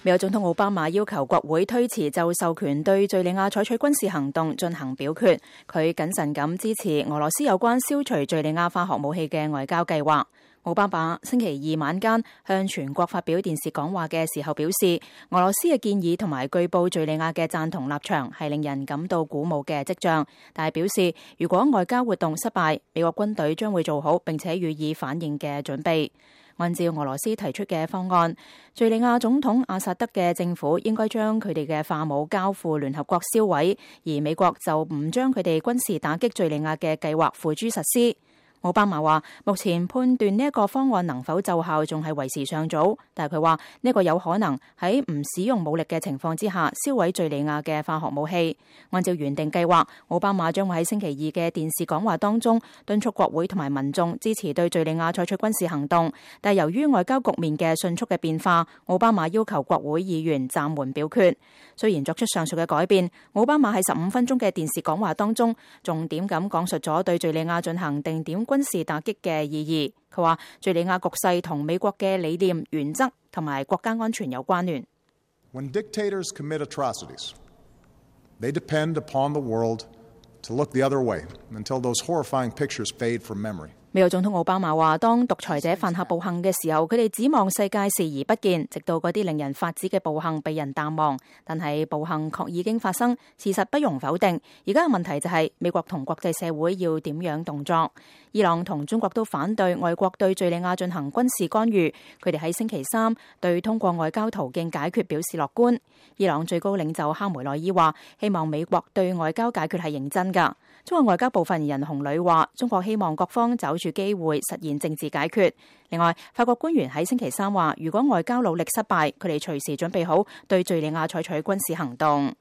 美國總統奧巴馬要求國會推遲就授權對敘利亞採取軍事行動進行表決。佢謹慎咁支持俄羅斯有關消除敘利亞化學武器嘅外交計劃。奧巴馬星期二晚間向全國發表電視講話嘅時候表示，俄羅斯嘅建議同埋據報敘利亞嘅贊同立場係令人感到鼓舞嘅跡象，但係表示如果外交活動失敗，美國軍隊將會做好並且予以反應嘅準備。按照俄羅斯提出嘅方案，敘利亞總統阿薩德嘅政府應該將佢哋嘅化武交付聯合國銷毀，而美國就唔將佢哋軍事打擊敘利亞嘅計劃付諸實施。奧巴馬話，目前判斷呢一個方案能否奏效仲係為時尚早，但係佢話呢個有可能喺唔使用武力嘅情況之下銷毀敘利亞嘅化學武器。按照原定計劃，奧巴馬將會喺星期二嘅電視講話當中敦促國會同埋民眾支持對敘利亞採取軍事行動，但係由於外交局面嘅迅速嘅變化，奧巴馬要求國會議員暫緩表決。雖然作出上述嘅改變，奧巴馬喺15分鐘嘅電視講話當中重點咁講述咗對敘利亞進行定點軍事打擊嘅意義。佢話敘利亞局勢同美國嘅理念、原則同埋國家安全有關聯。When dictators commit atrocities, they depend upon the world to look the other way until those horrifying pictures fade from memory. 美國總統奧巴馬話，當獨裁者犯下暴行嘅時候，佢哋指望世界視而不見，直到嗰啲令人髮指嘅暴行被人淡忘。但係暴行確已經發生，事實不容否定。而家嘅問題就係美國同國際社會要點樣動作。伊朗同中國都反對外國對敘利亞進行軍事干預。佢哋喺星期三對通過外交途徑解決表示樂觀。伊朗最高領袖哈梅內伊話，希望美國對外交解決係認真㗎。中國外交部發言人洪磊話，中國希望各方找住機會實現政治解決。另外，法國官員喺星期三話，如果外交努力失敗，佢哋隨時準備好對敘利亞採取軍事行動。